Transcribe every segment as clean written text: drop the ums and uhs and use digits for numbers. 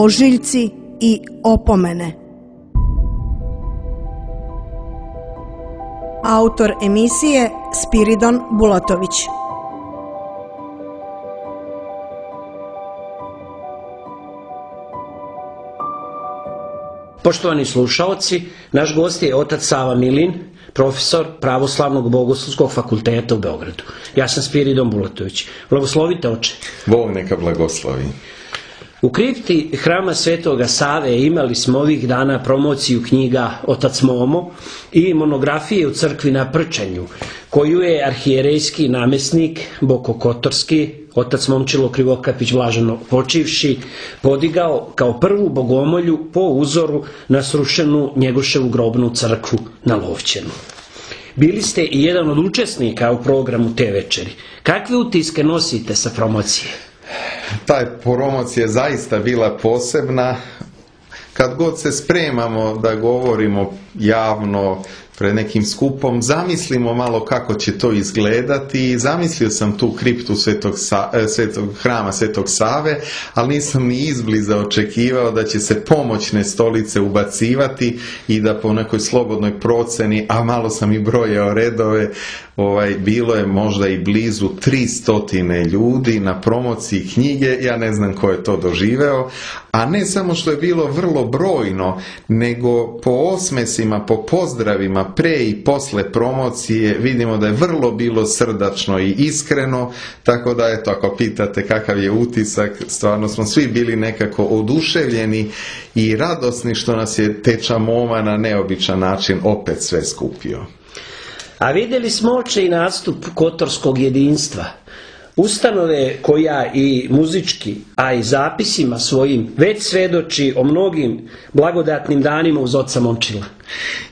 ožiljci i opomene. Autor emisije Spiridon Bulatović. Poštovani slušaoci, naš gost je otac Sava Milin, profesor Pravoslavnog bogoslovskog fakulteta u Beogradu. Ja sam Spiridon Bulatović. Blagoslovite, oče. Bog neka blagoslovi. U kripti Hrama Svetoga Save imali smo ovih dana promociju knjiga Otac Momo i monografije u crkvi na Prčanju, koju je arhijerejski namjesnik Bokokotorski, otac Momčilo Krivokapić blaženo počivši, podigao kao prvu bogomolju po uzoru na srušenu Njegoševu grobnu crkvu na Lovćenu. Bili ste i jedan od učesnika u programu te večeri. Kakve utiske nosite sa promocije? Ta promocija je zaista bila posebna. Kad god se spremamo da govorimo javno pred nekim skupom, zamislimo malo kako će to izgledati. Zamislio sam tu kriptu Hrama Svetog Save, ali nisam ni izbliza očekivao da će se pomoćne stolice ubacivati i da po nekoj slobodnoj proceni, a malo sam i brojao redove, bilo je možda i blizu 300 ljudi na promociji knjige. Ja ne znam ko je to doživeo, a ne samo što je bilo vrlo brojno, nego po osmesima, po pozdravima pre i posle promocije vidimo da je vrlo bilo srdačno i iskreno, tako da eto, ako pitate kakav je utisak, stvarno smo svi bili nekako oduševljeni i radosni što nas je Teča Moma na neobičan način opet sve skupio. A vidjeli smo, oče, i nastup Kotorskog jedinstva, ustanove koja i muzički, a i zapisima svojim već svedoči o mnogim blagodatnim danima uz oca Momčila.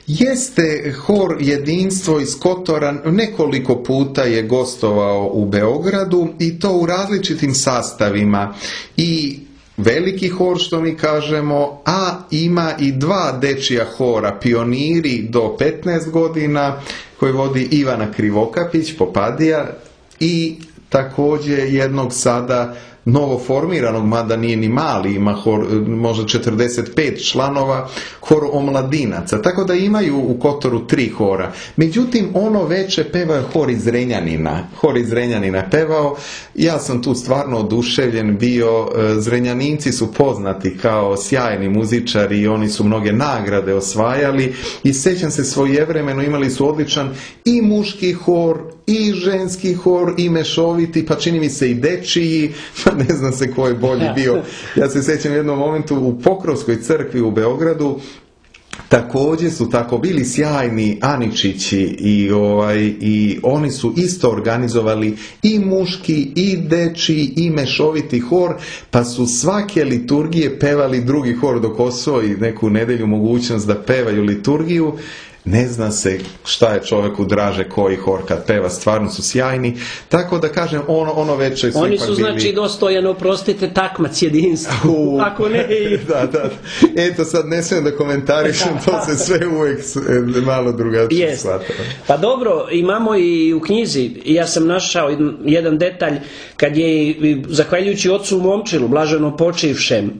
Jeste, hor Jedinstvo iz Kotora nekoliko puta je gostovao u Beogradu i to u različitim sastavima i veliki hor, što mi kažemo, a ima i dva dečija hora, Pioniri do 15 godina, koji vodi Ivana Krivokapić, Popadija, i također jednog sada novoformiranog, mada nije ni mali, ima hor, možda 45 članova, hor omladinaca, tako da imaju u Kotoru 3 hora. Međutim, ono veće pevao hor iz Zrenjanina pevao. Ja sam tu stvarno oduševljen bio. Zrenjaninci su poznati kao sjajni muzičari i oni su mnoge nagrade osvajali i sjećam se, svojevremeno imali su odličan i muški hor i ženski hor i mešoviti, pa čini mi se i dečiji, pa ne znam se ko je bolji bio. Ja se sjećam u jednom momentu u Pokrovskoj crkvi u Beogradu, također su tako bili sjajni Aničići i oni su isto organizovali i muški i dečiji i mešoviti hor, pa su svake liturgije pevali drugi hor dok osvoji neku nedelju mogućnost da pevaju liturgiju. Ne zna se šta je čovjeku draže, koji hor kad peva, stvarno su sjajni, tako da kažem, ono veće su oni su bili... znači dostojeno, prostite, takmac jedinstva, ako ne i... da. Eto, sad ne smijem da komentarišem, to se sve uvijek malo drugačije shvata. Pa dobro, imamo i u knjizi, ja sam našao jedan detalj, kad je, zahvaljujući ocu Momčilu, blaženo počivšem,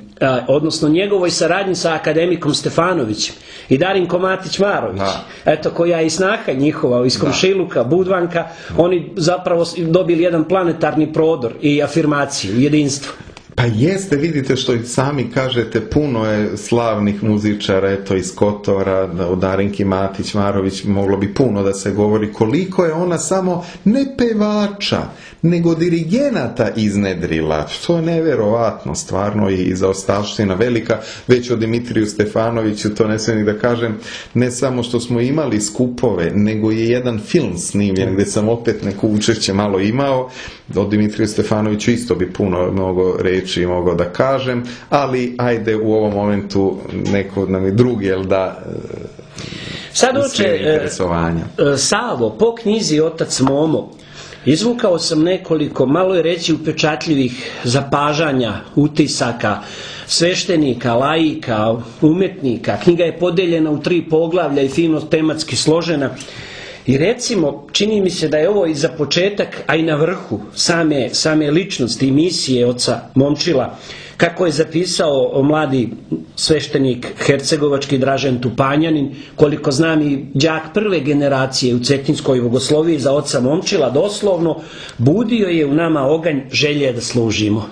odnosno njegovoj saradnji sa akademikom Stefanovićem i Darinko Matić-Marović, eto, koja je i snaha njihova iz Komšiluka, Budvanka, oni zapravo dobili jedan planetarni prodor i afirmaciju, jedinstvo. Pa jeste, vidite što i sami kažete, puno je slavnih muzičara, eto, iz Kotora, o Darinki Matić-Marović moglo bi puno da se govori, koliko je ona samo ne pevača, nego dirigenata iznedrila, što je neverovatno, stvarno, i zaostavština velika. Već o Dimitriju Stefanoviću, to ne smijem ni da kažem, ne samo što smo imali skupove, nego je jedan film snimljen gdje sam opet neko učešće malo imao. O Dimitriju Stefanoviću isto bi mnogo reći mogao da kažem, ali ajde u ovom momentu neko nam je drugi, jel da, sad, oče, Savo, po knjizi Otac Momo, izvukao sam nekoliko, malo je reći, upečatljivih zapažanja, utisaka sveštenika, laika, umetnika. Knjiga je podeljena u 3 poglavlja i fino tematski složena. I recimo, čini mi se da je ovo i za početak, a i na vrhu same ličnosti i misije oca Momčila, kako je zapisao mladi sveštenik hercegovački Dražen Tupanjanin, koliko znam i đak prve generacije u Cetinskoj bogosloviji za oca Momčila, doslovno, budio je u nama oganj želje da služimo.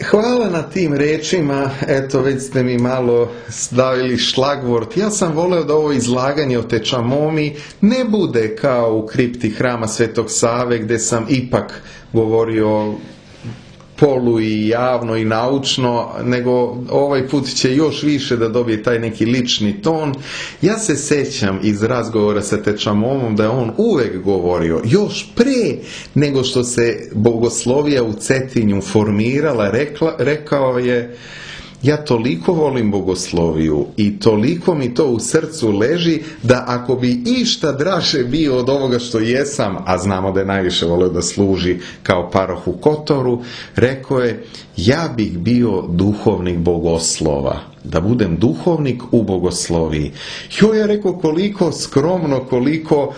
Hvala na tim rečima, eto već ste mi malo stavili šlagvort. Ja sam voleo da ovo izlaganje o Tečamomi ne bude kao u kripti hrama Svetog Save, gdje sam ipak govorio polu i javno i naučno, nego ovaj put će još više da dobije taj neki lični ton. Ja se sećam iz razgovora sa Tečamomom da je on uvek govorio, još pre nego što se bogoslovija u Cetinju formirala, rekao je: ja toliko volim bogosloviju i toliko mi to u srcu leži da ako bi išta draže bio od ovoga što jesam, a znamo da je najviše volio da služi kao paroh u Kotoru, rekao je: ja bih bio duhovnik bogoslova, da budem duhovnik u bogosloviji. Jo, ja rekao, koliko skromno, koliko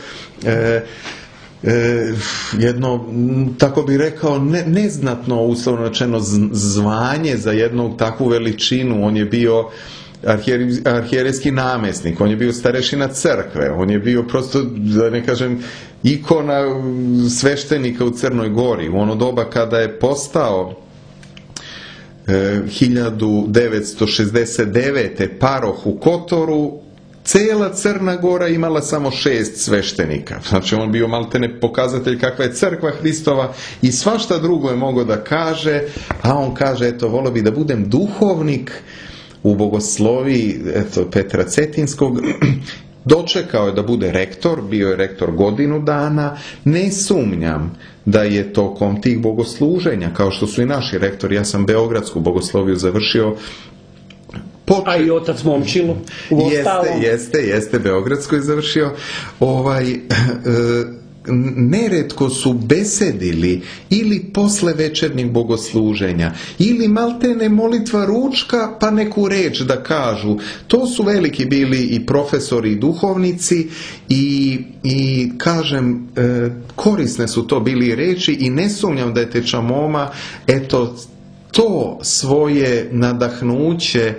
jedno, tako bi rekao, neznatno, uslovno rečeno, zvanje za jednu takvu veličinu. On je bio arhijerejski namjesnik, on je bio starešina crkve, on je bio prosto, da ne kažem, ikona sveštenika u Crnoj Gori. U ono doba kada je postao 1969. paroh u Kotoru, cela Crna Gora imala samo 6 sveštenika. Znači, on bio maltene pokazatelj kakva je crkva Hristova i svašta drugo je mogao da kaže, a on kaže, eto, volio bi da budem duhovnik u bogosloviji, eto, Petra Cetinskog. Dočekao je da bude rektor, bio je rektor godinu dana. Ne sumnjam da je tokom tih bogosluženja, kao što su i naši rektori, ja sam beogradsku bogosloviju završio, a i otac Momčilo jeste, beogradsko je završio. Neretko su besedili ili posle večernjih bogosluženja, ili maltene molitva ručka, pa neku reč da kažu. To su veliki bili i profesori i duhovnici i kažem, korisne su to bili reči i ne sumnjam da je Tečamoma, eto, to svoje nadahnuće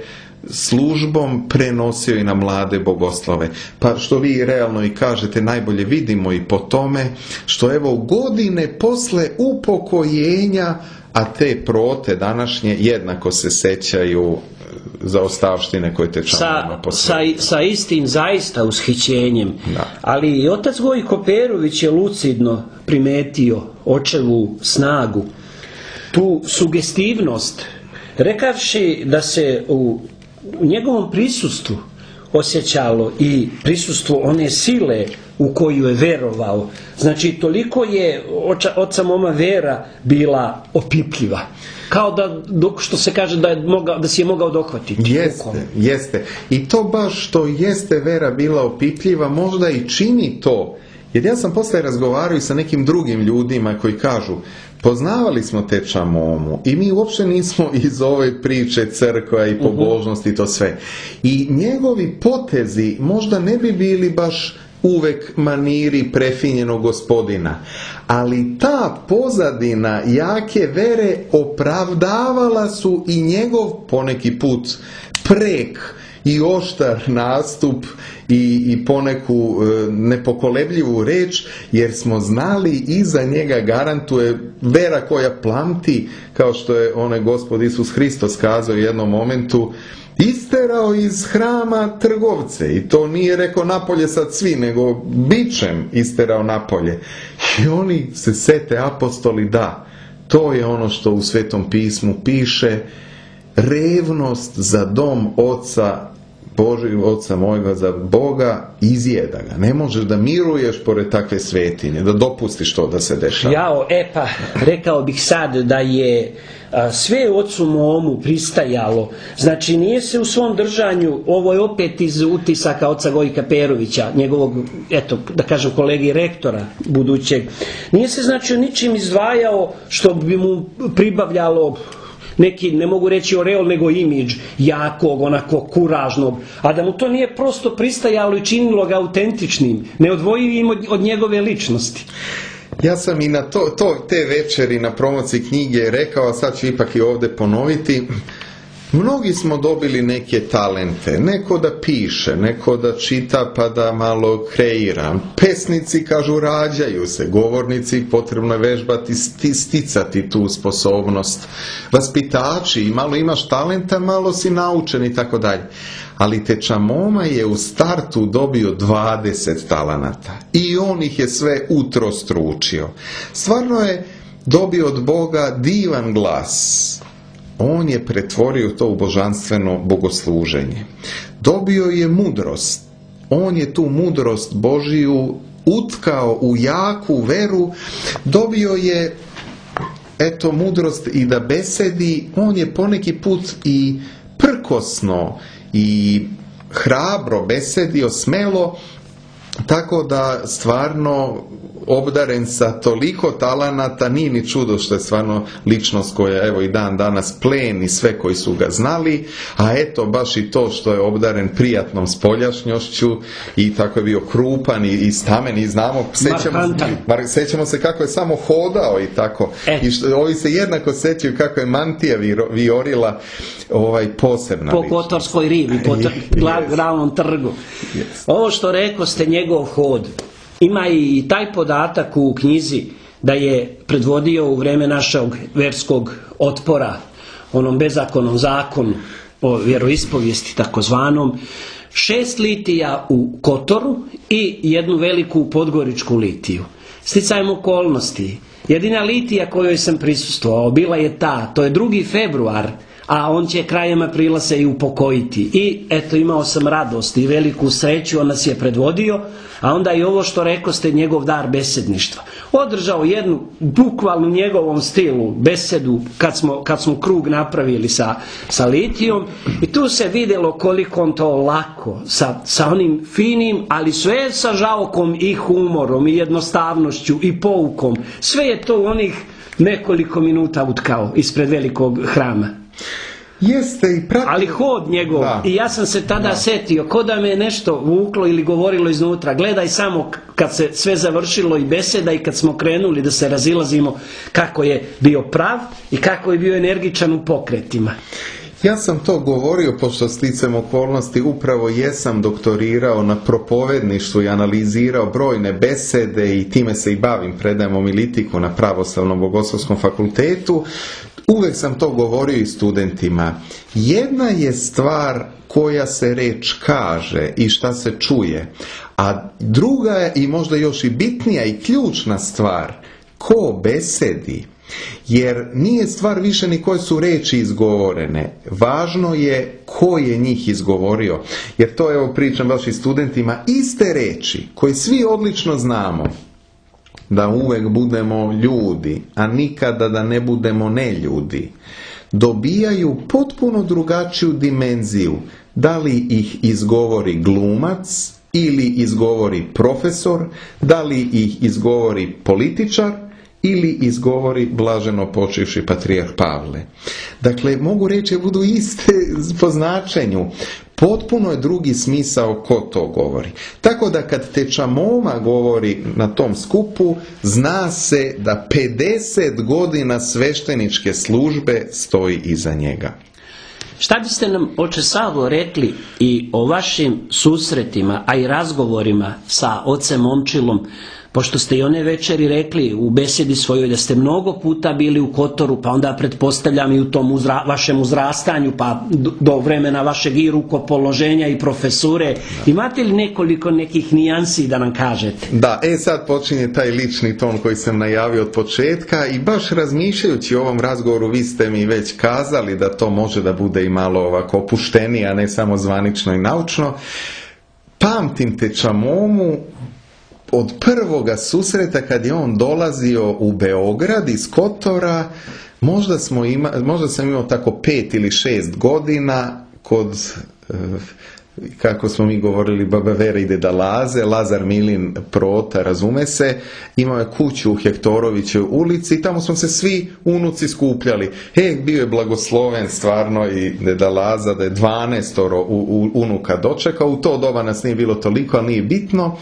službom prenosio i na mlade bogoslove. Pa što vi realno i kažete, najbolje vidimo i po tome što evo godine posle upokojenja, a te prote današnje jednako se sećaju zaostavštine koje Tečamoma posvetio. Sa istim zaista ushićenjem. Da. Ali i otac Gojko Perović je lucidno primetio očevu snagu, tu sugestivnost, rekavši da se u njegovom prisustvu osjećalo i prisustvo one sile u koju je verovao. Znači, toliko je oca Moma vera bila opipljiva. Kao da, što se kaže, da si je mogao dohvatiti. Jeste. I to baš što jeste vera bila opipljiva, možda i čini to. Jer ja sam posle razgovarao i sa nekim drugim ljudima koji kažu, poznavali smo Tečamomu i mi uopšte nismo iz ove priče crkva i pobožnosti i to sve. I njegovi potezi možda ne bi bili baš uvek maniri prefinjenog gospodina, ali ta pozadina jake vere opravdavala su i njegov poneki put prek i oštar nastup i poneku nepokolebljivu reč, jer smo znali iza njega garantuje vera koja plamti, kao što je onaj Gospod Isus Hristos kazao u jednom momentu, isterao iz hrama trgovce, i to nije rekao napolje sad svi, nego bičem isterao napolje. I oni se sete apostoli, da, to je ono što u Svetom pismu piše, revnost za dom Oca Božeg, Oca mojega, za Boga, izjeda ga. Ne možeš da miruješ pored takve svetinje, da dopustiš to da se dešava. Rekao bih sad da je sve ocu Momu pristajalo. Znači, nije se u svom držanju, ovo je opet iz utisaka oca Gojka Perovića, njegovog, eto, da kažem, kolegi rektora budućeg, nije se, znači, ničim izdvajao što bi mu pribavljalo neki, ne mogu reći oreol, nego imidž jakog, onako kuražnog, a da mu to nije prosto pristajalo i činilo ga autentičnim, neodvojivim od njegove ličnosti. Ja sam i na te večeri na promociji knjige rekao, a sad ću ipak i ovdje ponoviti, mnogi smo dobili neke talente, neko da piše, neko da čita pa da malo kreira. Pesnici kažu rađaju se, govornici potrebno je vežbati, sticati tu sposobnost. Vaspitači, malo imaš talenta, malo si naučen i tako dalje. Ali Teča Moma je u startu dobio 20 talenata i on ih je sve utrostručio. Stvarno je dobio od Boga divan glas. On je pretvorio to u božanstveno bogosluženje. Dobio je mudrost. On je tu mudrost Božiju utkao u jaku veru. Dobio je mudrost i da besedi. On je poneki put i prkosno i hrabro besedio, smelo, tako da stvarno obdaren sa toliko talenata, nije ni čudo što je stvarno ličnost koja evo i dan danas pleni sve koji su ga znali, a eto baš i to što je obdaren prijatnom spoljašnjošću i tako je bio krupan i stamen i znamo, sećamo se kako je samo hodao i tako. I ovi se jednako sećaju kako je mantija viorila posebna po Kotorskoj rivi, po glavnom trgu. Ovo što rekao ste, njegov hod, ima i taj podatak u knjizi da je predvodio u vreme našeg verskog otpora, onom bezakonnom zakonu o vjeroispovijesti takozvanom, 6 litija u Kotoru i jednu veliku podgoričku litiju. Sticajem okolnosti, jedina litija kojoj sam prisustvovao bila je to je 2. februar, a on će krajem aprila se i upokojiti. I eto, imao sam radost i veliku sreću, on nas je predvodio, a onda i ovo što rekoste, njegov dar besedništva. Održao jednu, bukvalno njegovom stilu, besedu kad smo krug napravili sa litijom, i tu se vidjelo koliko on to lako, sa onim finim, ali sve sa žaokom i humorom i jednostavnošću i poukom. Sve je to u onih nekoliko minuta utkao ispred velikog hrama. Ali hod njegov, i ja sam se tada setio, ko da me nešto vuklo ili govorilo iznutra, gledaj samo kad se sve završilo i beseda i kad smo krenuli da se razilazimo, kako je bio prav i kako je bio energičan u pokretima. Ja sam to govorio, pošto sticajem okolnosti upravo jesam doktorirao na propovedništvu i analizirao brojne besede i time se i bavim, predajem homilitiku na Pravoslavnom bogoslovskom fakultetu. Uvijek sam to govorio i studentima. Jedna je stvar koja se reč kaže i šta se čuje, a druga je i možda još i bitnija i ključna stvar, ko besedi. Jer nije stvar više ni koje su reči izgovorene, važno je ko je njih izgovorio. Jer to, evo pričam baš i studentima, iste reči koje svi odlično znamo, da uvek budemo ljudi, a nikada da ne budemo neljudi, dobijaju potpuno drugačiju dimenziju, da li ih izgovori glumac ili izgovori profesor, da li ih izgovori političar ili izgovori blaženo počivši patrijarh Pavle. Dakle, mogu reći da budu iste po značenju. Potpuno je drugi smisao ko to govori. Tako da kad Teča Moma govori na tom skupu, zna se da 50 godina svešteničke službe stoji iza njega. Šta biste nam, oče Savo, rekli i o vašim susretima, a i razgovorima sa ocem Momčilom, pošto ste i one večeri rekli u besedi svojoj da ste mnogo puta bili u Kotoru, pa onda pretpostavljam i u tom vašem uzrastanju, pa do vremena vašeg i rukopoloženja i profesure. Imate li nekoliko nekih nijansi da nam kažete? Da, sad počinje taj lični ton koji sam najavio od početka i baš razmišljajući o ovom razgovoru, vi ste mi već kazali da to može da bude i malo ovako opuštenije, a ne samo zvanično i naučno. Pamtim Teča Momu od prvoga susreta kad je on dolazio u Beograd iz Kotora. Možda sam imao tako 5 ili 6 godina kod kako smo mi govorili, baba Vera i deda Laze, Lazar Milin Prota, razume se, imao je kuću u Hektorovićoj ulici i tamo smo se svi unuci skupljali. Bio je blagosloven stvarno i deda Laza da je 12 unuka dočekao, u to doba nas nije bilo toliko, ali nije bitno.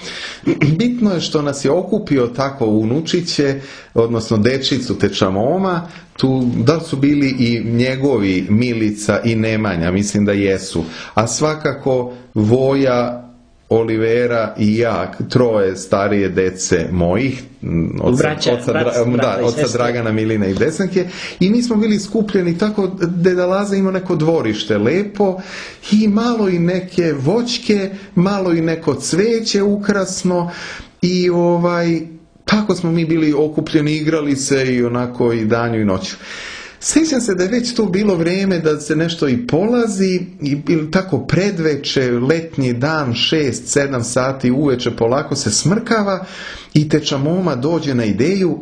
Bitno je što nas je okupio tako unučiće, odnosno dečicu Tečamoma, tu, da li su bili i njegovi Milica i Nemanja, mislim da jesu, a svakako Voja, Olivera i ja, troje starije dece mojih, oca Dragana, Milina i Desanke, i mi smo bili skupljeni tako, deda Laza imao neko dvorište lepo i malo i neke voćke, malo i neko cveće ukrasno i tako smo mi bili okupljeni, igrali se i onako i danju i noću. Sjećam se da je već tu bilo vrijeme da se nešto i polazi, ili tako predveče, letnji dan, 6-7 sati uveče polako se smrkava i Tečamoma dođe na ideju,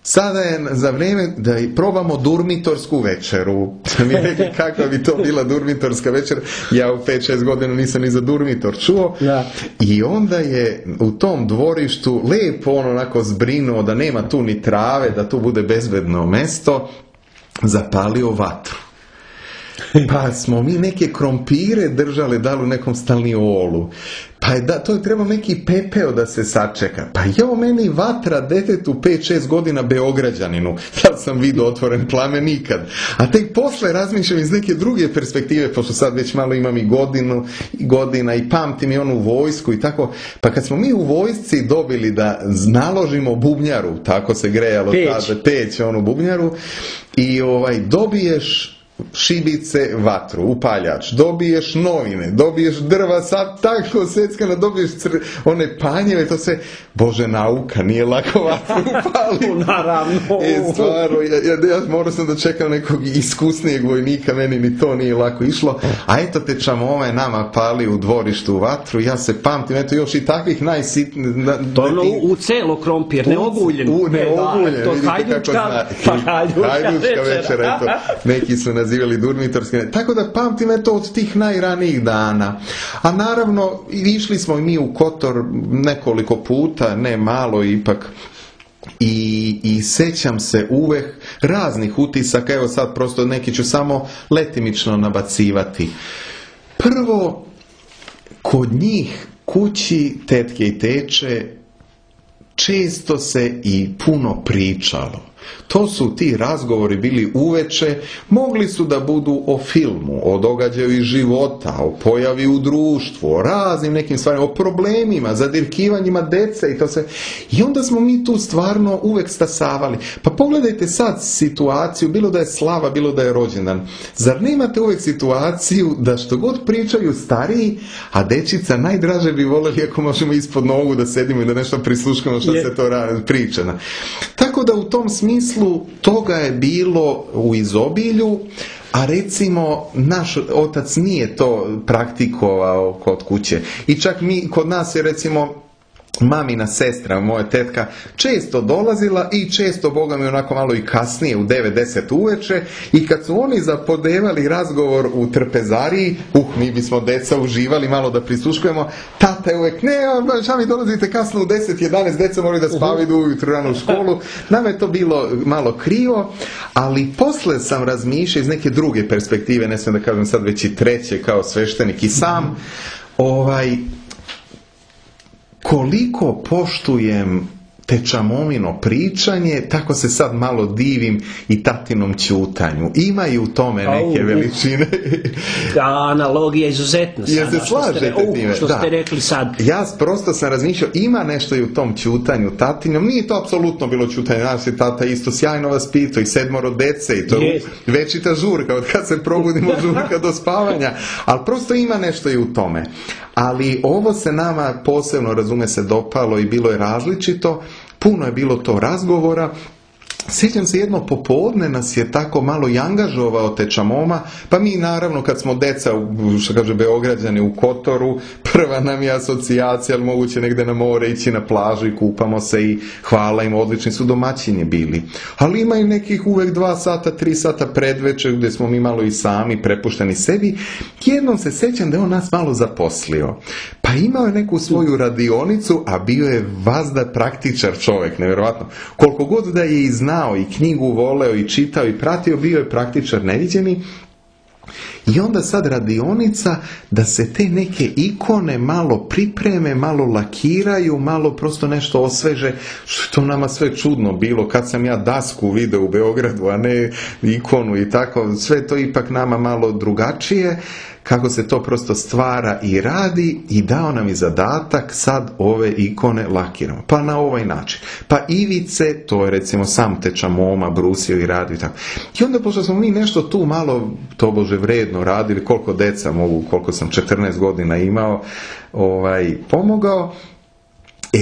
sada je za vrijeme da probamo durmitorsku večeru. Mi rekli kakva bi to bila durmitorska večera, ja u 5-6 godina nisam ni za durmitor čuo. Ja. I onda je u tom dvorištu lepo onako zbrinuo da nema tu ni trave, da tu bude bezbedno mesto, zapalio vatru. Pa smo mi neke krompire držali, dali u nekom stalniolu. Pa to je trebao neki pepeo da se sačeka. Pa meni vatra detetu 5-6 godina Beograđaninu. Sad sam vidio otvoren plamen nikad. A tek posle razmišljam iz neke druge perspektive, pošto sad već malo imam i godina i pamtim i onu vojsku i tako. Pa kad smo mi u vojsci dobili da naložimo bubnjaru, tako se grejalo tada, peć onu bubnjaru, i dobiješ šibice, vatru, upaljač, dobiješ novine, dobiješ drva, sad tako seckano, dobiješ one panjeve, to se, Bože, nauka, nije lako vatru upaliti. Naravno. Stvarno, ja morao sam da čekam nekog iskusnijeg vojnika, meni ni to nije lako išlo, a eto Tečamoma je nama pali u dvorištu vatru, ja se pamtim, eto još i takvih najsitnijih... To u celo krompir, neoguljen. Neoguljen, vidite kako zna. Hajdučka večera, eto, neki su nazivali durmitorske, tako da pamtim eto od tih najranijih dana. A naravno, išli smo i mi u Kotor nekoliko puta, ne malo ipak, i sećam se uvek raznih utisaka, evo sad prosto neki ću samo letimično nabacivati. Prvo, kod njih kući tetke i teče često se i puno pričalo. To su ti razgovori bili uveče, mogli su da budu o filmu, o događaju iz života, o pojavi u društvu, o raznim nekim stvarima, o problemima, zadirkivanjima dece i to se. I onda smo mi tu stvarno uvek stasavali. Pa pogledajte sad situaciju, bilo da je slava, bilo da je rođendan. Zar nemate uvek situaciju da što god pričaju stariji, a dečica najdraže bi voljeli ako možemo ispod nogu da sedimo i da nešto prisluškamo što se to priča. Tako da u tom smislu toga je bilo u izobilju, a recimo naš otac nije to praktikovao kod kuće. I čak kod nas je recimo mamina sestra, moja tetka, često dolazila i često, Boga mi, onako malo i kasnije, u 9-10 uveče, i kad su oni zapodevali razgovor u trpezariji, mi bismo deca uživali malo da prisluškujemo, tata je uvek, šta mi dolazite kasno u 10-11, deca moraju da spavaju, idu ujutru rano u školu. Nama je to bilo malo krivo, ali posle sam razmišljao iz neke druge perspektive, ne smijem da kažem sad već i treće kao sveštenik i sam, koliko poštujem Tečamomino pričanje, tako se sad malo divim i tatinom ćutanju. Ima i u tome neke veličine. Analogija izuzetna. Jer se slažete time. Što ste rekli sad. Ja prosto sam razmišljao, ima nešto i u tom ćutanju tatinom. Nije to apsolutno bilo ćutanje. Naš je tata isto sjajno vaspitao i 7 dece i to večita žurka, od kad se probudimo žurka do spavanja. Ali prosto ima nešto i u tome. Ali ovo se nama posebno, razume se, dopalo i bilo je različito. Puno je bilo to razgovora sjećam se jedno popodne nas je tako malo i angažovao teča Moma, pa mi naravno kad smo deca, što kaže Beograđani, u Kotoru, prva nam je asocijacija, ali moguće negdje na more ići na plažu i kupamo se i hvala im, odlični su domaćini bili. Ali ima i nekih uvek 2 sata, 3 sata predveče gdje smo mi malo i sami prepušteni sebi. Jednom se sjećam da je on nas malo zaposlio. Pa imao je neku svoju radionicu, a bio je vazda praktičar čovjek, nevjerojatno. Koliko god da je i znao i knjigu voleo i čitao i pratio, bio je praktičar neviđeni. I onda sad radionica da se te neke ikone malo pripreme, malo lakiraju, malo prosto nešto osveže, što je nama sve čudno bilo. Kad sam ja dasku video u Beogradu, a ne ikonu i tako, sve to ipak nama malo drugačije, kako se to prosto stvara i radi, i dao nam i zadatak sad ove ikone lakiramo. Pa na ovaj način. Pa ivice, to je recimo sam teča Moma brusio i radio i tako. I onda pošto smo mi nešto tu malo tobože vredno radili, koliko deca mogu, koliko sam 14 godina imao, pomogao,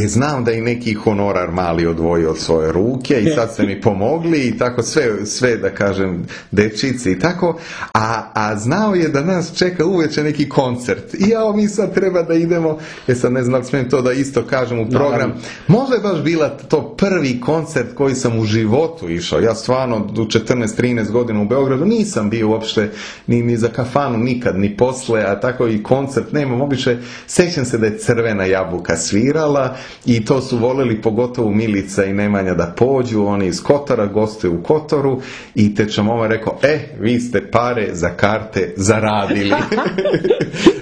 znam da i neki honorar mali odvojio od svoje ruke i sad ste mi pomogli i tako sve da kažem dečici i tako, a znao je da nas čeka uveče neki koncert i mi sad treba da idemo, sad ne znam da smijem to da isto kažem u program, možda je baš bila to prvi koncert koji sam u životu išao, ja stvarno u 14-13 godina u Beogradu nisam bio uopšte ni za kafanu nikad, ni posle, a tako i koncert nemam, običaj, sećam se da je Crvena jabuka svirala i to su voleli pogotovo Milica i Nemanja da pođu, oni iz Kotora gostuju u Kotoru i teča Moma rekao, vi ste pare za karte zaradili.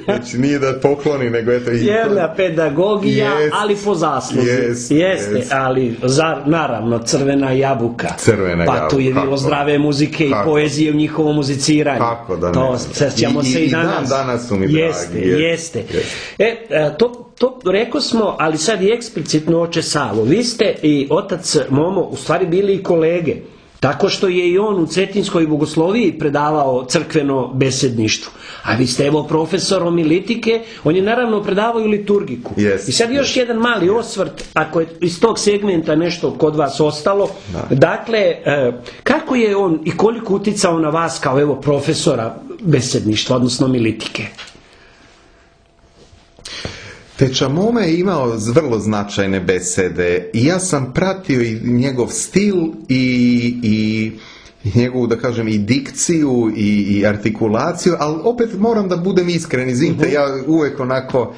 Znači nije da pokloni, nego eto i jedna pedagogija, ali po zasluzi. Jeste, ali naravno Crvena jabuka. Pa tu je bilo zdrave muzike i poezije u njihovom muziciranju. Kako da ne. To sećamo se i danas. Danas su mi dragi. Jeste. To rekao smo, ali sad i eksplicitno oče Savo. Vi ste i otac Momo u stvari bili i kolege. Tako što je i on u Cetinskoj bogosloviji predavao crkveno besedništvo. A vi ste evo profesor homilitike, on je naravno predavao i liturgiku. I sad još jedan mali osvrt, ako je iz tog segmenta nešto kod vas ostalo. Dakle, kako je on i koliko uticao na vas kao evo profesora besedništva, odnosno homilitike? Teča Moma je imao vrlo značajne besede i ja sam pratio i njegov stil i njegovu, da kažem, i dikciju i artikulaciju, ali opet moram da budem iskren, izvinite, ja uvek onako...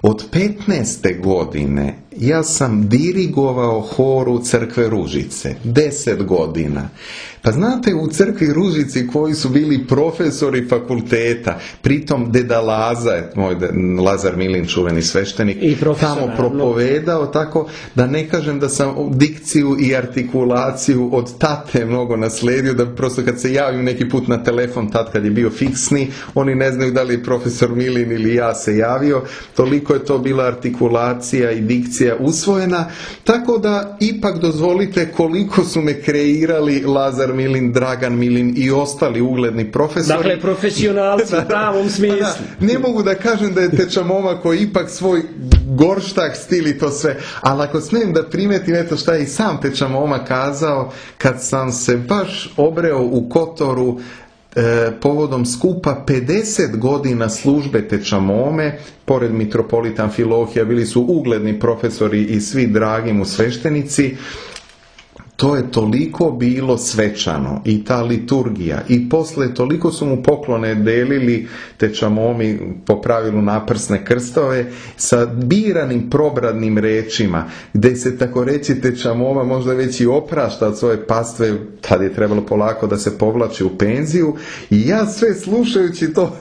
Od 15. godine ja sam dirigovao horu Crkve Ružice, 10 godina. Pa znate, u Crkvi Ružici koji su bili profesori fakulteta, pritom deda Laza, moj Lazar Milin, čuveni sveštenik, tamo propovedao, tako da ne kažem da sam dikciju i artikulaciju od tate mnogo nasledio, da prosto kad se javim neki put na telefon, tad kad je bio fiksni, oni ne znaju da li je profesor Milin ili ja se javio, toliko je to bila artikulacija i dikcija usvojena, tako da ipak dozvolite koliko su me kreirali Lazar Milin, Dragan Milin i ostali ugledni profesori. Dakle, profesionalci u pravom smislu. Ne mogu da kažem da je teča Moma koji ipak svoj gorštak stil i to sve, ali ako smijem da primetim, eto šta je i sam teča Moma kazao, kad sam se baš obreo u Kotoru povodom skupa 50 godina službe teča Mome, pored mitropolita Amfilohija bili su ugledni profesori i svi dragi mu sveštenici. To je toliko bilo svečano i ta liturgija i posle toliko su mu poklone delili teča Momi, po pravilu naprsne krstove, sa biranim probradnim rečima, gde se tako reći teča Moma možda već i oprašta od svoje pastve, tad je trebalo polako da se povlači u penziju, i ja sve slušajući to,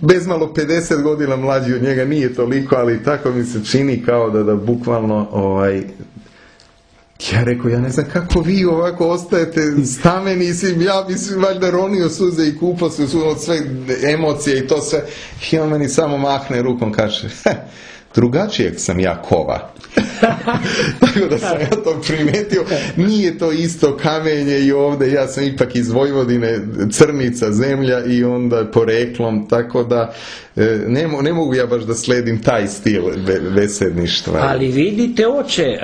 bezmalo 50 godina mlađi od njega, nije toliko, ali tako mi se čini kao da bukvalno ja rekao, ja ne znam kako vi ovako ostajete stameni, ja bi se valjda ronio suze i kupao se od sve emocije i to sve. I on meni samo mahne rukom, kaže, drugačijeg sam ja kova. Tako da sam ja to primetio, nije to isto kamenje i ovdje, ja sam ipak iz Vojvodine, crnica zemlja i onda poreklom, tako da ne mogu ja baš da sledim taj stil besedništva. Ali vidite, oče,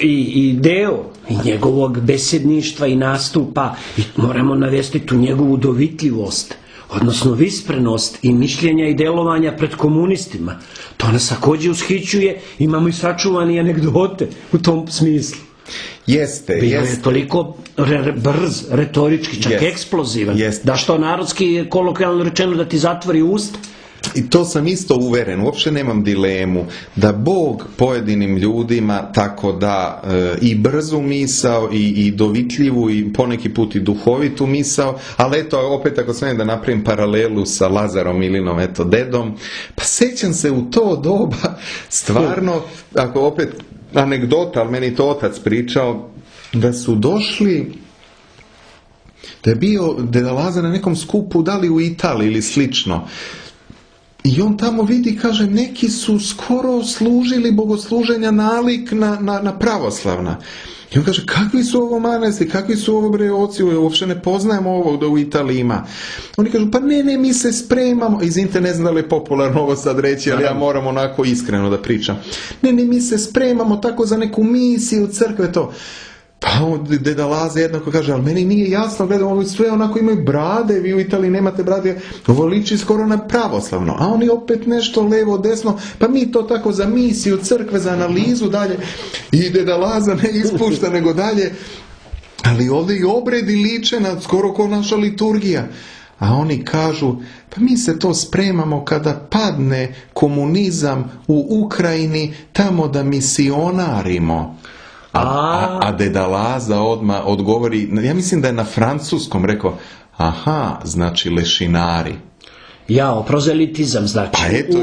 i deo i njegovog besedništva i nastupa, i moramo navesti tu njegovu dovitljivost, odnosno visprenost i mišljenja i delovanja pred komunistima. To nas također ushićuje, imamo i sačuvane anegdote u tom smislu. Jeste. Bio je toliko brz, retorički, čak eksplozivan, da što narodski, kolokvijalno rečeno, da ti zatvori usta. I to sam isto uveren, uopće nemam dilemu, da Bog pojedinim ljudima tako da i brzu misao i dovitljivu i poneki put i duhovitu misao, ali eto, opet ako smijem da napravim paralelu sa Lazarom Ilinom, eto, dedom, pa sećam se u to doba, stvarno, ako opet anegdota, ali meni to otac pričao, da su došli, da je bio deda Lazar na nekom skupu, da li u Italiji ili slično, i on tamo vidi, kaže, neki su skoro služili bogosluženja nalik na pravoslavna. I on kaže, kakvi su ovo manasti, kakvi su ovo breoci, uopće ne poznajemo ovo da u Italiji ima. Oni kažu, pa ne, mi se spremamo, izvinite, ne znam da li je popularno ovo sad reći, ali ja moram onako iskreno da pričam. Ne, mi se spremamo tako za neku misiju crkve, to. Pa deda Laza jednako kaže, ali meni nije jasno, gledam, ovo sve onako imaju brade, vi u Italiji nemate brade, ovo liči skoro na pravoslavno, a oni opet nešto levo, desno, pa mi to tako za misiju, crkve, za analizu, dalje, i deda Laza ne ispušta nego dalje, ali ovdje i obredi liče na skoro kao naša liturgija. A oni kažu, pa mi se to spremamo kada padne komunizam u Ukrajini, tamo da misionarimo. A deda Laza odmah odgovori, ja mislim da je na francuskom rekao, aha, znači lešinari. Prozelitizam znači. Pa eto,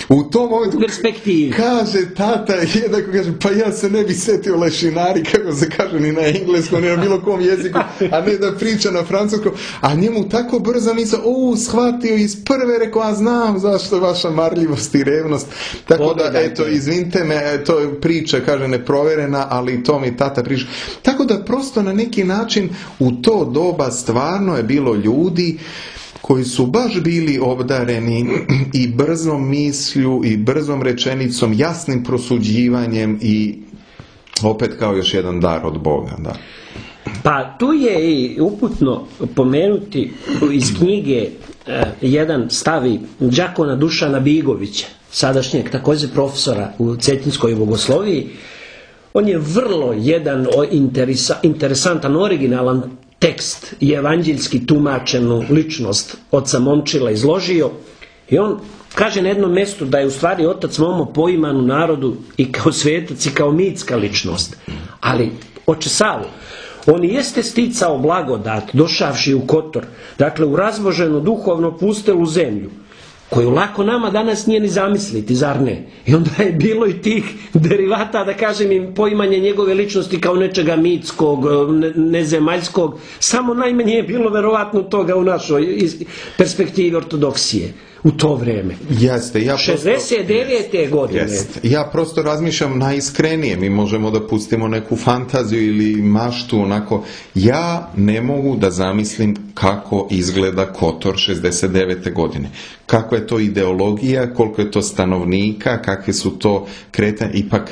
u tom momentu perspektivi. Kaže tata, jednako kaže, pa ja se ne bi setio lešinari, kako se kaže, ni na engleskom, ni na bilo kom jeziku, a ne da priča na francuskom, a njemu tako brzo misao, shvatio iz prve, rekao, a znam zašto vaša marljivost i revnost. Tako da, eto, izvinite me, to je priča, kaže, neproverena, ali to mi tata priča. Tako da, prosto na neki način u to doba stvarno je bilo ljudi koji su baš bili obdareni i brzom mislju i brzom rečenicom, jasnim prosuđivanjem i opet kao još jedan dar od Boga. Da. Pa tu je i uputno pomenuti iz knjige jedan stavi đakona Dušana Bigovića, sadašnjeg također profesora u Cetinskoj bogosloviji. On je vrlo jedan interesantan, originalan tekst i evanđeljski tumačenu ličnost oca Momčila izložio i on kaže na jednom mjestu da je u stvari otac Momo poiman u narodu i kao svetac i kao mitska ličnost. Ali, oče Savo, on jeste sticao blagodat došavši u Kotor, dakle u razboženu duhovno pustelu zemlju, koju lako nama danas nije ni zamisliti, zar ne? I onda je bilo i tih derivata, da kažem, im poimanje njegove ličnosti kao nečega mitskog, nezemaljskog, samo najmanje je bilo verovatno toga u našoj perspektivi ortodoksije u to vreme. Jeste, 69. godine. Jeste. Ja prosto razmišljam najiskrenije, mi možemo da pustimo neku fantaziju ili maštu, onako, ja ne mogu da zamislim kako izgleda Kotor 69. godine. Kako je to ideologija, koliko je to stanovnika, kakve su to kretanje, ipak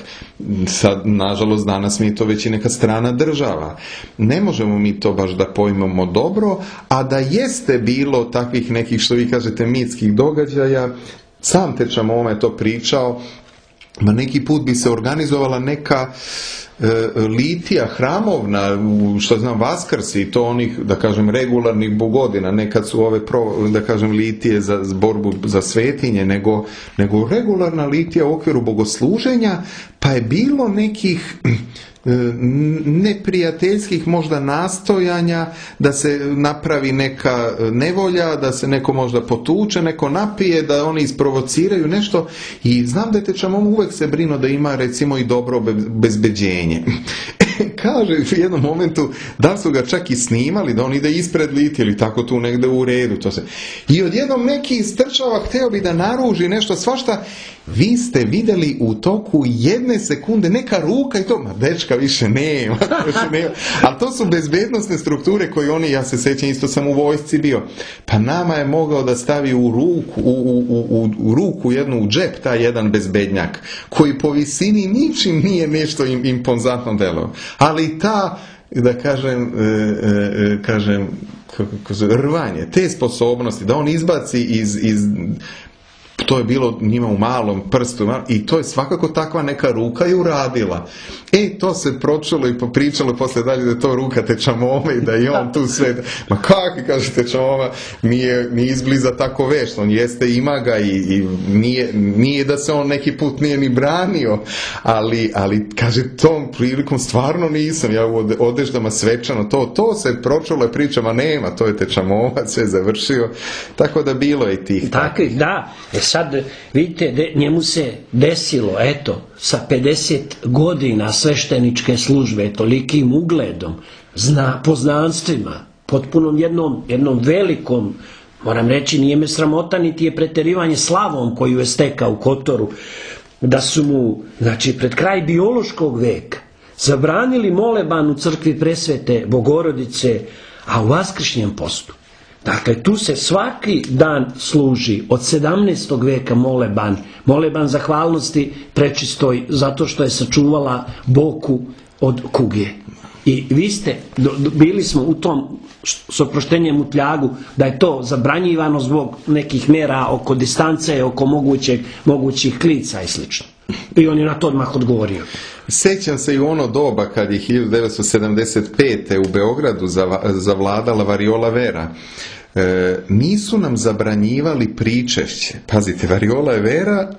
sad, nažalost, danas mi je to već i neka strana država. Ne možemo mi to baš da pojmemo dobro, a da jeste bilo takvih nekih, što vi kažete, mitskih događaja, sam Teča Moma je to pričao, ma neki put bi se organizovala neka litija hramovna, što znam, Vaskrsi i to onih, da kažem, regularnih bogodina, nekad su ove da kažem litije za borbu za svetinje, nego regularna litija u okviru bogosluženja, pa je bilo nekih neprijateljskih možda nastojanja da se napravi neka nevolja, da se neko možda potuče, neko napije, da oni isprovociraju nešto, i znam da je Teča Moma uvek se brino da ima recimo i dobro bezbeđenje. kaže u jednom momentu da su ga čak i snimali, da on ide ispred liti ili tako tu negde u redu. To se. I odjednom neki istrčava, hteo bi da naruži nešto svašta. Vi ste vidjeli u toku 1 sekunde neka ruka i to, ma dečka više nema. Ali to su bezbednosne strukture koje oni, ja se sećam, isto sam u vojsci bio. Pa nama je mogao da stavi u ruku jednu u džep taj jedan bezbednjak koji po visini ničim nije nešto impozantno delo. Ali ta, da kažem rvanje, te sposobnosti da on izbaci iz to je bilo njima u malom prstu i to je svakako takva neka ruka je uradila. To se pročulo i popričalo posle dalje da je to ruka Tečamome i da je on tu sve. Ma kako, kaže Tečamoma, nije izbliza tako vešt, on jeste, ima ga i nije da se on neki put nije ni branio, ali kaže, tom prilikom stvarno nisam, ja u odeždama svečano, to se pročulo i pričama, nema, to je Tečamoma, sve završio, tako da bilo je tih. Takvih, da. Sad, vidite, njemu se desilo, sa 50 godina svešteničke službe, tolikim ugledom, poznanstvima, potpunom jednom velikom, moram reći, nije me sramota, niti je preterivanje slavom koju je stekao u Kotoru, da su mu, znači, pred kraj biološkog veka zabranili moleban u crkvi Presvete Bogorodice, a u vaskršnjem postu. Dakle, tu se svaki dan služi od 17. veka moleban zahvalnosti prečistoj zato što je sačuvala Boku od kuge. I vi ste, bili smo u tom s oproštenjem u Tljagu, da je to zabranjivano zbog nekih mera oko distance, oko mogućih klica i slično. I on je na to odmah odgovorio. Sećam se i u ono doba kad je 1975. u Beogradu zavladala variola vera. Nisu nam zabranjivali pričešće. Pazite, variola je vera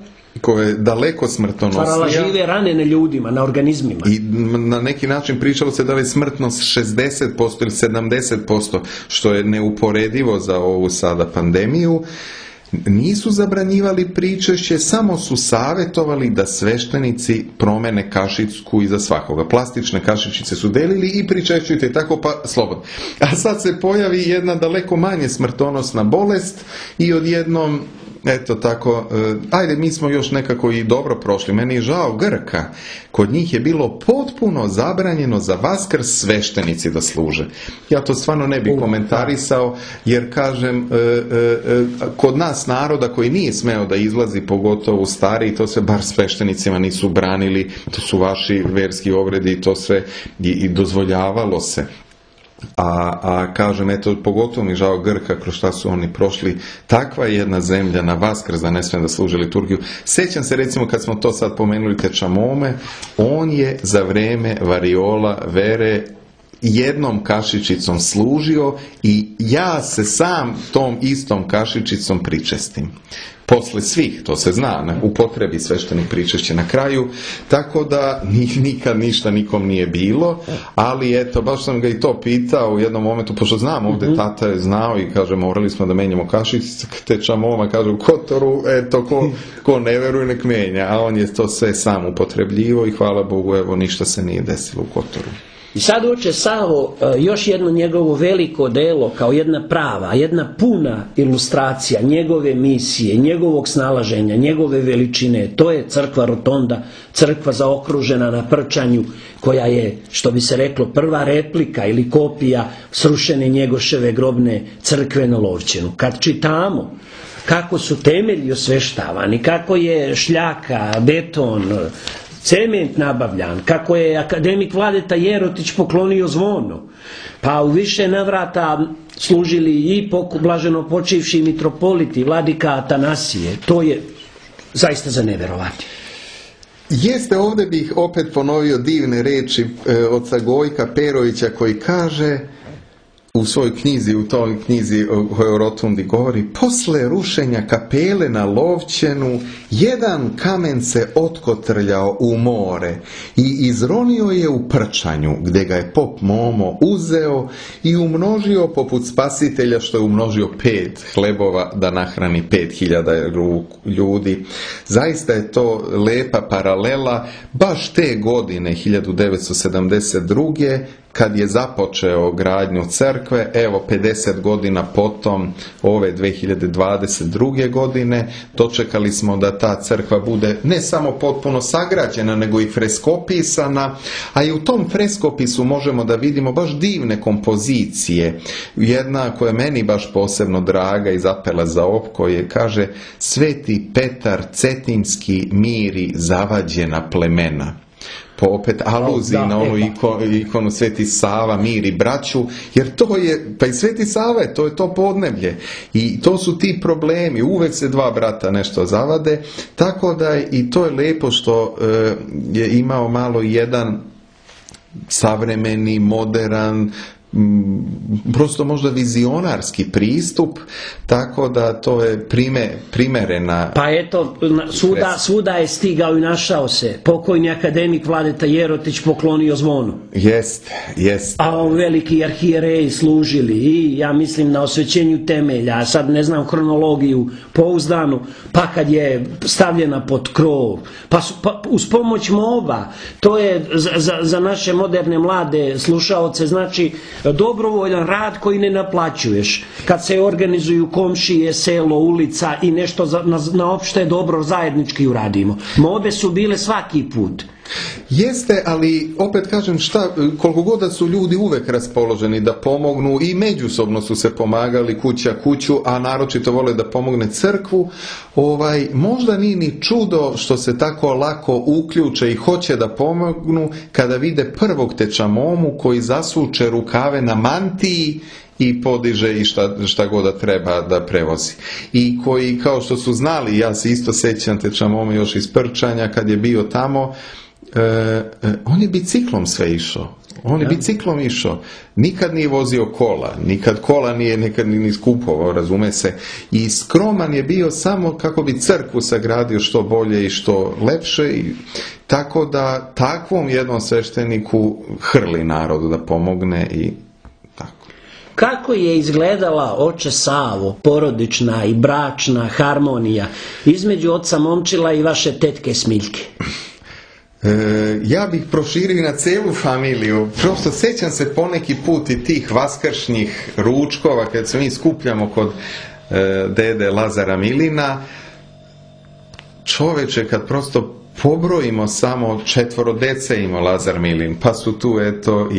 koja je daleko smrtonosnija. Stvarala žive rane na ljudima, na organizmima. I na neki način pričalo se da li je smrtnost 60% ili 70%, što je neuporedivo za ovu sada pandemiju. Nisu zabranjivali pričešće, samo su savjetovali da sveštenici promene kašičku iza svakoga. Plastične kašičice su delili i pričešćujte tako pa slobodno. A sad se pojavi jedna daleko manje smrtonosna bolest i odjednom, eto tako, ajde, mi smo još nekako i dobro prošli. Meni je žao Grka. Kod njih je bilo potpuno zabranjeno za Vaskrs sveštenici da služe. Ja to stvarno ne bih komentarisao, jer kažem, kod nas naroda koji nije smeo da izlazi, pogotovo stariji, to se bar sveštenicima nisu branili, to su vaši verski obredi i to sve i dozvoljavalo se. A kažem, eto, pogotovo mi žao Grka, kroz šta su oni prošli. Takva je jedna zemlja na Vaskrs da ne smije da služi liturgiju. Sećam se, recimo, kad smo to sad pomenuli Tečamome, on je za vreme variola vere jednom kašičicom služio i ja se sam tom istom kašičicom pričestim. Posle svih, to se zna, upotrebi sveštenik pričešće na kraju, tako da nikad ništa nikom nije bilo, ali eto, baš sam ga i to pitao u jednom momentu, pošto znam, ovdje tata je znao i kaže, morali smo da menjamo kašičice, Tečamoma kaže u Kotoru, eto, ko ne veruje nek menja, a on je to sve sam upotrebljivo i hvala Bogu, evo, ništa se nije desilo u Kotoru. I sad oče Savo, još jedno njegovo veliko delo, kao jedna prava, jedna puna ilustracija njegove misije, njegovog snalaženja, njegove veličine, to je crkva Rotonda, crkva zaokružena na Prčanju, koja je, što bi se reklo, prva replika ili kopija srušene Njegoševe grobne crkve na Lovćenu. Kad čitamo kako su temelji osveštavani, kako je šljaka, beton, cement nabavljan, kako je akademik Vladeta Jerotić poklonio zvono, pa u više navrata služili i blaženo počivši mitropoliti, vladika Atanasije, to je zaista za neverovati. Jeste, ovdje bih opet ponovio divne reči oca Gojka Perovića koji kaže: u svojoj knjizi, u toj knjizi o Rotundi govori, posle rušenja kapele na Lovćenu, jedan kamen se otkotrljao u more i izronio je u Prčanju, gdje ga je pop Momo uzeo i umnožio poput Spasitelja što je umnožio 5 hlebova da nahrani 5000 ljudi. Zaista je to lepa paralela, baš te godine, 1972. kad je započeo gradnju crkve, evo 50 godina potom, ove 2022. godine, dočekali smo da ta crkva bude ne samo potpuno sagrađena, nego i freskopisana, a i u tom freskopisu možemo da vidimo baš divne kompozicije. Jedna koja je meni baš posebno draga i zapela za oko je, kaže, Sveti Petar Cetinski miri zavađena plemena. Po opet aluziji na onu ikonu Sveti Sava miri braću, jer to je, pa i Sveti Sava je to podneblje i to su ti problemi, uvek se dva brata nešto zavade, tako da i to je lepo što je imao malo jedan savremeni, modern, prosto možda vizionarski pristup, tako da to je primerena. Pa eto, svuda je stigao i našao se. Pokojni akademik Vladeta Jerotić poklonio zvonu. Jest. A veliki arhijereji služili i ja mislim na osvećenju temelja, a sad ne znam hronologiju pouzdanu, pa kad je stavljena pod krov, pa uz pomoć MOBA, to je za naše moderne mlade slušaoce, znači dobrovoljan rad koji ne naplaćuješ. Kad se organizuju komšije, selo, ulica i nešto na opšte dobro zajednički uradimo. Mobe su bile svaki put. Jeste, ali opet kažem koliko god da su ljudi uvek raspoloženi da pomognu i međusobno su se pomagali kuća kuću, a naročito vole da pomogne crkvu, možda nije ni čudo što se tako lako uključe i hoće da pomognu kada vide prvog teča Momu koji zasuče rukave na mantiji i podiže i šta god da treba da prevozi. I koji, kao što su znali, ja se isto sećam teča Momu još iz Prčanja kad je bio tamo, on je biciklom sve išao. Nikad nije vozio kola, nikad kola nije nikad ni skupovao, razume se. I skroman je bio samo kako bi crkvu sagradio što bolje i što lepše. Tako da takvom jednom svešteniku hrli narodu da pomogne i tako. Kako je izgledala, oče Savo, porodična i bračna harmonija između oca Momčila i vaše tetke Smiljke? Ja bih proširio na celu familiju. Prosto sećam se poneki put i tih vaskršnjih ručkova kad se mi skupljamo kod dede Lazara Milina. Čoveče, kad prosto pobrojimo samo 4 dece ima Lazar Milin, pa su tu eto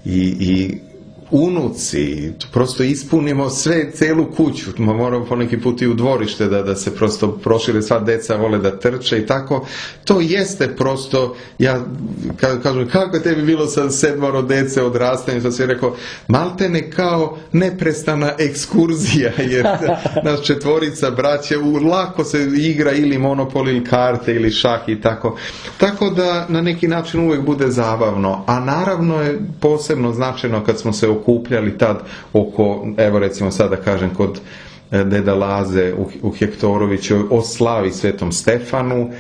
i unuci, prosto ispunimo celu kuću, moramo poneki put i u dvorište da se prosto prošire, sva deca vole da trče i tako, to jeste prosto, ja kažem, kako je tebi bilo sa 7 dece odrastanju, to si rekao, maltene kao neprestana ekskurzija, jer nas 4 braće, lako se igra ili monopol ili karte ili šah i tako da na neki način uvijek bude zabavno, a naravno je posebno značajno kad smo se okupljali tad oko, evo recimo sada kažem kod deda Laze u Hektoroviću o slavi Svetom Stefanu,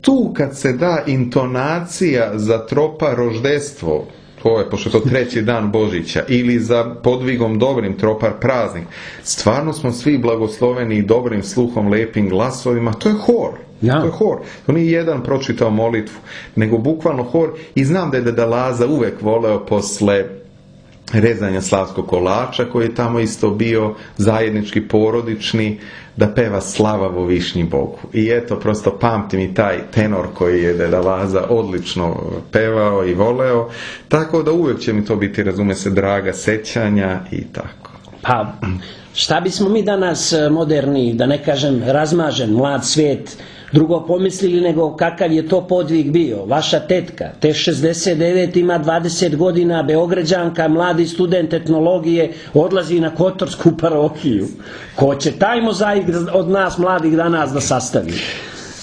tu kad se da intonacija za tropa roždestvo, to je, pošto je to 3. dan Božića, ili za podvigom dobrim tropar praznik, stvarno smo svi blagosloveni i dobrim sluhom, lepim glasovima, to je hor. Ja. To je hor. To nije jedan pročitao molitvu, nego bukvalno hor. I znam da je deda Laza uvek voleo posle rezanja slavskog kolača, koji je tamo isto bio zajednički porodični, da peva Slava vo višnji Bogu. I eto, prosto pamtim i taj tenor koji je deda Laza odlično pevao i voleo, tako da uvek će mi to biti, razume se, draga sećanja i tako. Pa, šta bismo mi danas moderni, da ne kažem razmažen, mlad svijet, drugo pomislili nego kakav je to podvig bio. Vaša tetka, te 69 ima 20 godina, Beograđanka, mladi student etnologije, odlazi na Kotorsku parohiju. Ko će taj mozaik od nas mladih danas da sastavi?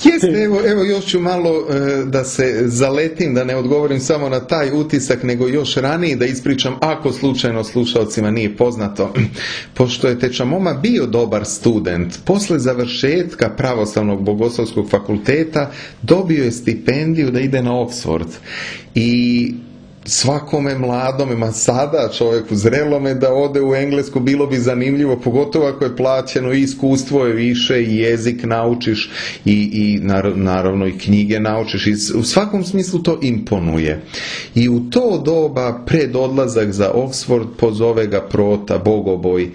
Jeste, evo još ću malo da se zaletim, da ne odgovorim samo na taj utisak, nego još ranije da ispričam, ako slučajno slušalcima nije poznato. Pošto je Teča Moma bio dobar student, posle završetka Pravoslavnog bogoslovskog fakulteta dobio je stipendiju da ide na Oxford. I svakome mladome, ma sada čovjeku zrelome da ode u Englesku bilo bi zanimljivo, pogotovo ako je plaćeno i iskustvo je više i jezik naučiš i naravno i knjige naučiš i u svakom smislu to imponuje. I u to doba pred odlazak za Oxford pozove ga Prota, bogoboj,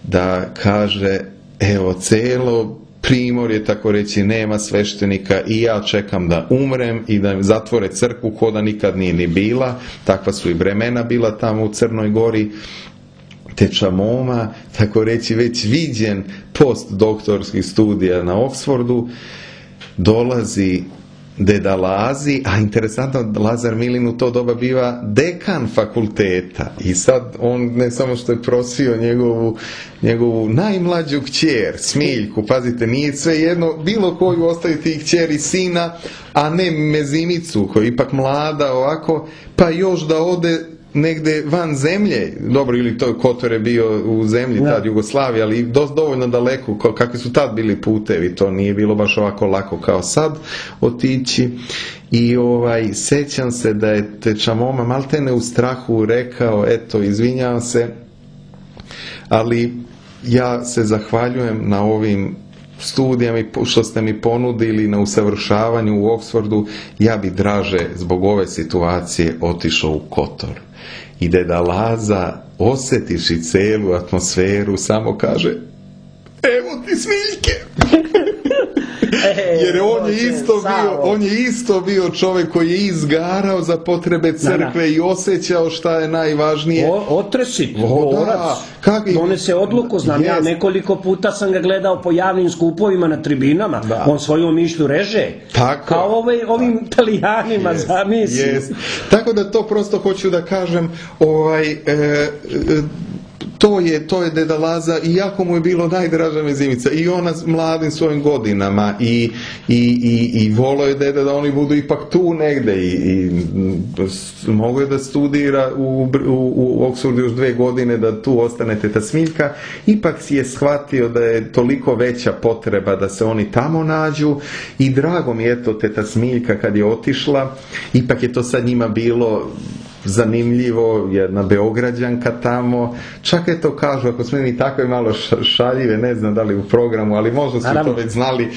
da kaže evo celo Primorje, tako reći, nema sveštenika i ja čekam da umrem i da zatvore crkvu ko da nikad nije ni bila. Takva su i vremena bila tamo u Crnoj Gori. Teča Moma, tako reći, već viđen postdoktorskih studija na Oxfordu, dolazi Deda Lazi, a interesantno Lazar Milin u to doba biva dekan fakulteta i sad on ne samo što je prosio njegovu najmlađu kćer, Smiljku, pazite, nije sve jedno bilo koju ostaviti i kćer i sina, a ne Mezimicu koja je ipak mlada ovako, pa još da ode negde van zemlje, dobro, ili to Kotor je bio u zemlji tad Jugoslavije, ali dovoljno daleko, kakvi su tad bili putevi, to nije bilo baš ovako lako kao sad otići. I sećam se da je Teča Moma maltene u strahu rekao, eto, izvinjavam se, ali ja se zahvaljujem na ovim studijama što ste mi ponudili na usavršavanju u Oxfordu, ja bi draže zbog ove situacije otišao u Kotor. I Deda Laza, osjetiši celu atmosferu, samo kaže, evo ti Smiljke. Jer on je isto bio čovjek koji je izgarao za potrebe crkve i osjećao šta je najvažnije. Otresit, borac, donese odluku, znam ja, nekoliko puta sam ga gledao po javnim skupovima na tribinama, on svoju mišlju reže, kao ovim Italijanima, zamisli. Tako da to prosto hoću da kažem, to je Deda Laza, iako mu je bilo najdraža Mezimica i ona mladim svojim godinama i volio je Deda da oni budu ipak tu negde i mogo je da studira u Oxfordu još 2 godine, da tu ostane Teta Smiljka, ipak si je shvatio da je toliko veća potreba da se oni tamo nađu i drago mi je to Teta Smiljka kad je otišla, ipak je to sad njima bilo zanimljivo, jedna Beograđanka tamo, čak je to kažu, ako smo mi takve malo šaljive, ne znam da li u programu, ali možda su to već znali,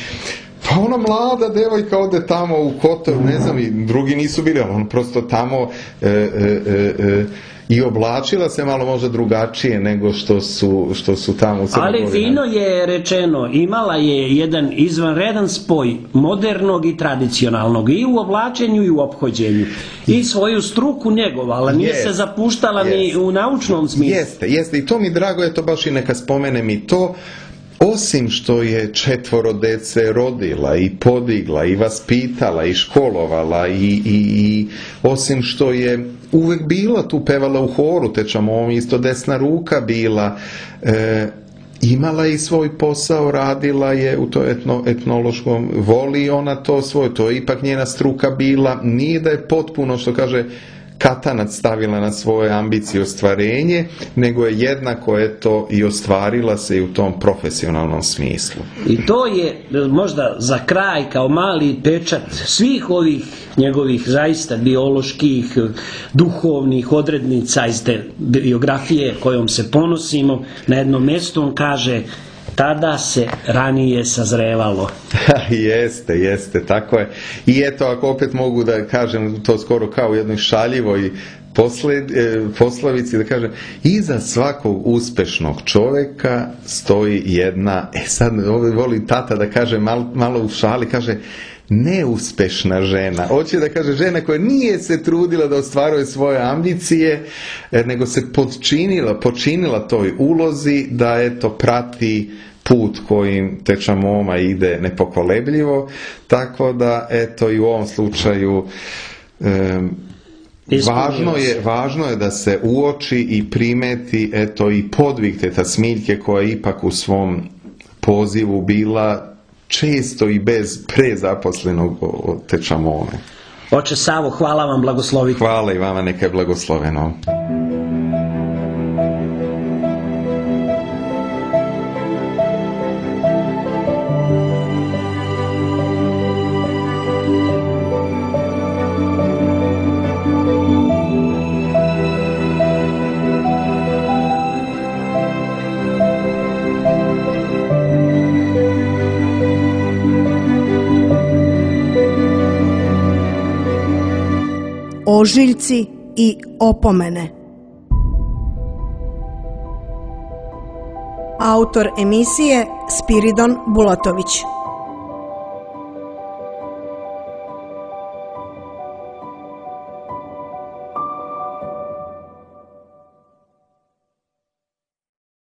pa ona mlada devojka ode tamo u Kotor, ne znam, i drugi nisu bili, ali on prosto tamo i oblačila se malo možda drugačije nego što su tamo u Crnoj Gori. Ali fino je rečeno, imala je jedan izvanredan spoj modernog i tradicionalnog i u oblačenju i u ophođenju i svoju struku njegovala, nije se zapuštala ni u naučnom smislu. Jeste, i to mi drago je, to baš i neka spomenem i to. Osim što je 4 dece rodila i podigla i vaspitala i školovala i osim što je uvek bila tu, pevala u horu, Teča Moma isto desna ruka bila, imala je i svoj posao, radila je u to etnološkom, voli ona to svoje, to je ipak njena struka bila, nije da je potpuno, što kaže, katanac stavila na svoje ambicije i ostvarenje, nego je jednako i ostvarila se i u tom profesionalnom smislu. I to je možda za kraj kao mali pečat svih ovih njegovih zaista bioloških, duhovnih odrednica iz te biografije kojom se ponosimo. Na jednom mjestu on kaže: tada se ranije sazrevalo. Jeste, tako je. I eto, ako opet mogu da kažem to skoro kao u jednoj šaljivoj poslovici, da kažem, iza svakog uspešnog čoveka stoji jedna, sad volim tata da kaže malo u šali, kaže, neuspešna žena. Hoće da kaže žena koja nije se trudila da ostvaruje svoje ambicije, nego se počinila toj ulozi da prati put kojim Teča Moma ide nepokolebljivo, tako da i u ovom slučaju važno je da se uoči i primeti i podvig Teta Smiljke koja ipak u svom pozivu bila često i bez prezaposlenog otečamone. Oče Savo, hvala vam, blagoslovite. Hvala i vama, neka je blagosloveno. Ožiljci i opomene. Autor emisije Spiridon Bulatović.